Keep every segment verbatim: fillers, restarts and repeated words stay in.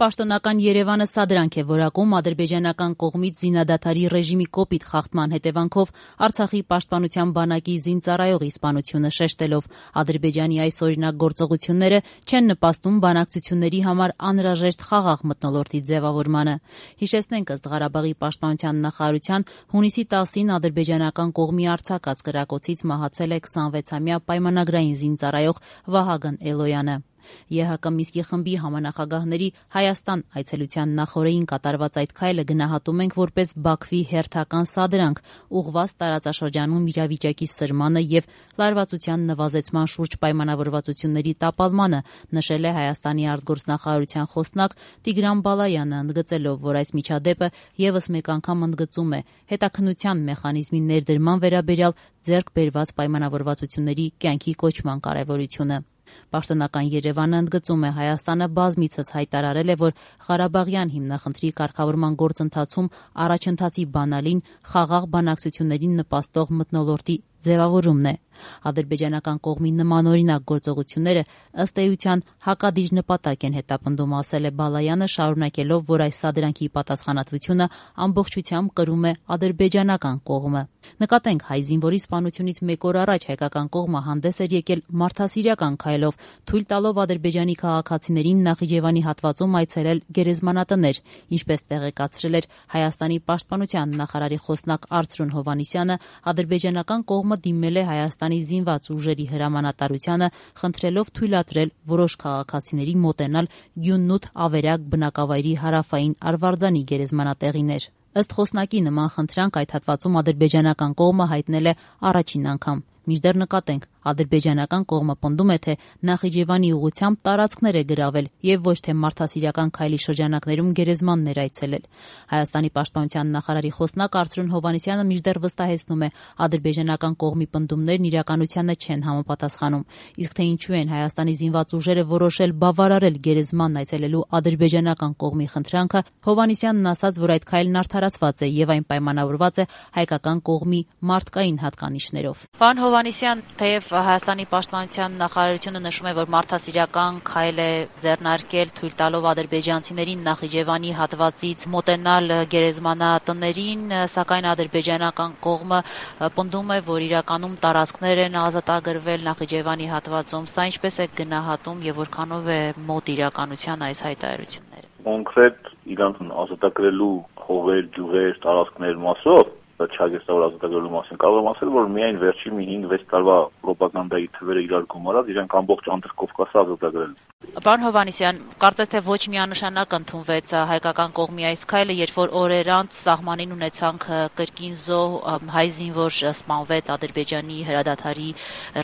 Պաշտոնական Երևանը սադրանք է որակում ադրբեջանական կողմից զինադադարի ռեժիմի կոպիտ խախտման հետևանքով Արցախի պաշտպանության բանակի զինծառայողի սպանությունը շեշտելով Ադրբեջանի այս օրինակ գործողությունները չեն նպաստում բանակցությունների համար անհրաժեշտ խաղաղ մթնոլորտի ձևավորմանը։ Հիշեցնենք, ըստ Ղարաբաղի պաշտպանության նախարարության, հունիսի տասին ադրբեջանական կողմի արձակած կրակոցից մահացել է քսանվեցամյա պայմանագրային զինծառայող Վահագն Էլոյանը։ ԵՀԿ Միսկի խմբի համանախագահների Հայաստան այցելության նախօրեին կատարված այդ քայլը գնահատում ենք որպես Բաքվի հերթական սադրանք ուղղված տարածաշրջանում իրավիճակի սրմանը եւ լարվածության նվազեցման շուրջ պայմանավորվածությունների տապալմանը, նշել է Հայաստանի արտգործնախարարության խոսնակ Տիգրան Բալայանը, ընդգծելով, որ այս միջադեպը եւս մեկ անգամ ընդգծում է հետաքննության մեխանիզմի ներդրման վերաբերյալ ձեռք բերված պայմանավորվածությունների կյանքի կոչման կարեւորությունը։ Պաշտոնական Երևանը ընդգծում է Հայաստանը բազմիցս հայտարարել է, որ Ղարաբաղյան հիմնախնդրի կարգավորման գործընթացում առաջընթացի բանալին խաղաղ բանակցություններին նպաստող մթնոլորտի ձևավորումն է։ Ադրբեջանական կողմի նմանօրինակ գործողությունները ըստ էության հակադիր նպատակ են հետապնդում, ասել է Բալայանը, շարունակելով, որ այս սադրանքի պատասխանատվությունը ամբողջությամբ կրում է ադրբեջանական կողմը։ Նկատենք, հայ զինվորի սպանությունից մեկ օր առաջ հայկական կողմը հանդես էր եկել մարդասիրական քայլով, թույլ տալով ադրբեջանի քաղաքացիներին Նախիջևանի հատվածում այցելել գերեզմանատներ, ինչպես տեղեկացրել էր Հայաստանի պաշտպանության նախարարի խոսնակ Արծրուն Հովհաննիսյանը, ադրբեջանական կողմը դիմել է Հայաստանի զինված ուժերի հրամանատարությանը, խնդրելով թույլատրել որոշ քաղաքացիների մոտենալ Գյուննութ Ավերակ բնակավայրի հարավային Արվարձանի գերեզմանատեղիներ։ Ըստ խոսնակի, նման խնդրանք այդ հատվածում ադրբեջանական կողմը հայտնել է առաջին անգամ։ Մինչդեռ նկատենք, ադրբեջանական կողմը պնդում է, թե Նախիջևանի ուղղությամբ տարածքներ է գրավել եւ ոչ թե մարդասիրական քայլի շրջանակներում գերեզմաններ այցելել։ Հայաստանի պաշտպանության նախարարի խոսնակ Արծրուն Հովհաննիսյանը մինչդեռ վստահեցնում է, ադրբեջանական կողմի պնդումներն իրականությանը չեն համապատասխանում։ Իսկ թե ինչու են Հայաստանի զինված ուժերը որոշել բավարարել գերեզմանն այցելելու ադրբեջանական կողմի խնդրանքը, Հովհաննիսյանն ասաց, որ այդ քայլն արդարացված է եւ այն պայմանավորված է հայկական կողմի մարդկային հատկանիշներով։ Պարոն Հովհաննիսյան, թեև Հայաստանի պաշտպանության նախարարությունը նշում է, որ մարդասիրական քայլ է ձեռնարկել, թույլ տալով ադրբեջանցիներին Նախիջևանի հատվածից մոտենալ գերեզմանատներին, սակայն ադրբեջանական կողմը պնդում է, որ իրականում տարածքներ են ազատագրվել Նախիջևանի հատվածում։ Սա ինչպես է գնահատում եւ որքանով է մոտ իրականության այս հայտարարությունները։ Կոնկրետ իրանց ազատագրելու հողեր, գյուղեր, տարածքներ մասով չագեստավոր ազատագրելու մասին կարող եմ ասել, որ միայն վերջի մի հինգ-վեց տարվա ռոպագանդայի թվերը իրար գումարած իրենք ամբողջ Անդրկովկասը ազատագրել։ Պարոն Հովհաննիսյան, կարծես թե ոչ միանշանակ ընդունվեց հայկական կողմի այս քայլը, երբ որ օրեր անց սահմանին ունեցանք կրկին զոհ, հայ զինվոր սպանվեց Ադրբեջանի հրադադարի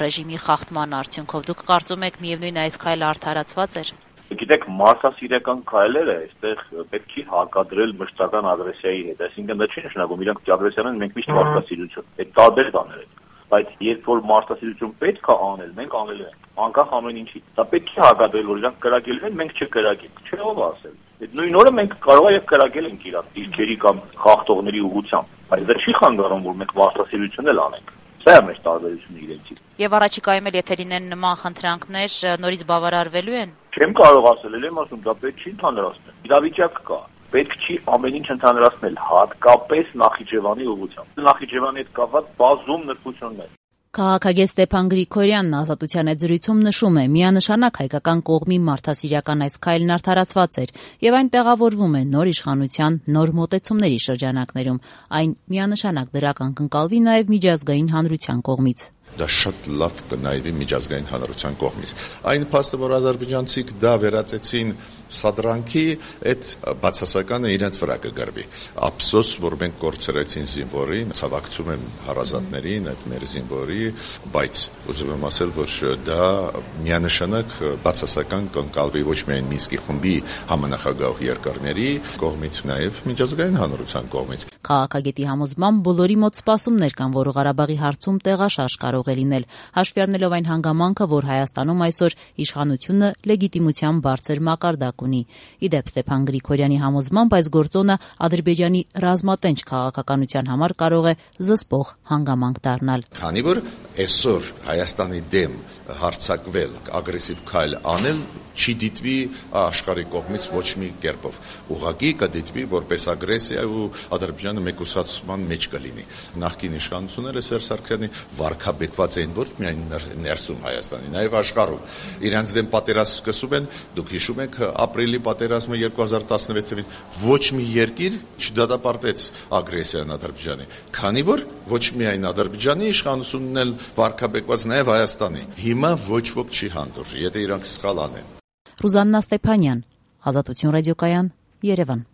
ռեժիմի խախտման արդյունքով։ Դուք կարծում եք միևնույն այս քայլը արդարացված էր։ Գիտեք, մարդասիրական քայլերը այստեղ պետք է հակադրել մշտական ագրեսիայի հետ, այսինքն դա չի նշանակում իրանք ագրեսիան են, մենք միշտ մարդասիրություն։ Այդ տարբեր բաներ են։ Բայց երբ որ մարդասիրություն պետք է անել, մենք անել ենք, անկախ ամեն ինչի։ Դա պետք է հակադրել, որ իրանք կրակել են, մենք չկրակենք, չէ՞ ով ասել։ Այդ նույն օրը մենք կարող ենք կրակել ենք իրանք դիրքերի կամ խախտողների ուղղությամբ, բայց դա չի խանգարում, որ մենք մարդասիրություն էլ անենք։ Սա է մեր տարբերությունը իրենցից։ Եվ առաջիկայում էլ եթե լինեն նման խնդրանքներ, նորից բավարարվելու են։ Չեմ կարող ասել, ել եմ ասում, դա պետք չի ընդհանրացնել։ Իրավիճակ կա, պետք չի ամեն ինչ ընդհանրացնել, հատկապես Նախիջևանի ուղղությամբ։ Նախիջևանի հետ կապված բազում նրբություններ։ Քաղաքագետ Ստեփան Գրիգորյանն Ազատության այդ զրույցում նշում է, միանշանակ հայկական կողմի մարդասիրական այս քայլն արդարացված էր եւ այն տեղավորվում է նոր իշխանության, նոր մոտեցումների շրջանակներում։ Այն միանշանակ դրական կընկալվի նաեւ միջազգային հանրության կողմից։ Դա շատ լավ կնայվի միջազգային հանրության կողմից։ Այն փաստը, որ ադրբեջանցիք դա վերածեցին սադրանքի, այդ բացասականը իրենց վրա կգրվի։ Ափսոս, որ մենք կորցրեցին զինվորին, ցավակցում եմ հարազատներին, այդ մեր զինվորի, բայց ուզում եմ ասել, որ դա միանշանակ բացասական կընկալվի ոչ միայն Մինսկի խմբի համանախագահ երկրների կողմից, նաև միջազգային հանրության կողմից։ Քաղաքագետի համոզմամբ բոլորի մոտ սպասումներ կան, որ Ղարաբաղի հարցում տեղաշարժ կարող է լինել, հաշվի առնելով այն հանգամանքը, որ Հայաստանում այսօր իշխանությունը լեգիտիմության բարձր մակարդակ ունի։ Ի դեպ, Ստեփան Գրիգորյանի համոզմամբ այս գործոնը Ադրբեջանի ռազմատենչ քաղաքականության համար կարող է զսպող հանգամանք դառնալ։ Քանի որ այսօր Հայաստանի դեմ հարձակվել, ագրեսիվ քայլ անել չի դիտվի աշխարհի կողմից ոչ մի կերպով։ Ուղղակի կդիտվի որպես ագրեսիա ու Ադրբեջանը մեկուսացման մեջ կլինի։ Նախկին իշխանությունները Սերժ Սարգսյանի վարկաբեկված էին ոչ միայն ներսում Հայաստանի, նաև աշխարհում։ Իրանց դեմ պատերազմ սկսում են, դուք հիշում եք ապրիլի պատերազմը երկու հազար տասնվեցին, ոչ մի երկիր չդատապարտեց ագրեսիան Ադրբեջանի, քանի որ ոչ միայն Ադրբեջանի իշխանությունն էլ վարկաբեկված, նաև Հայաստանի։ Հիմա ոչ ոք չի հանդուրժի, եթե իրանք սխալ անեն։ Ռուզաննա Ստեփանյան, Ազատություն ռադիոկայան, Երևան։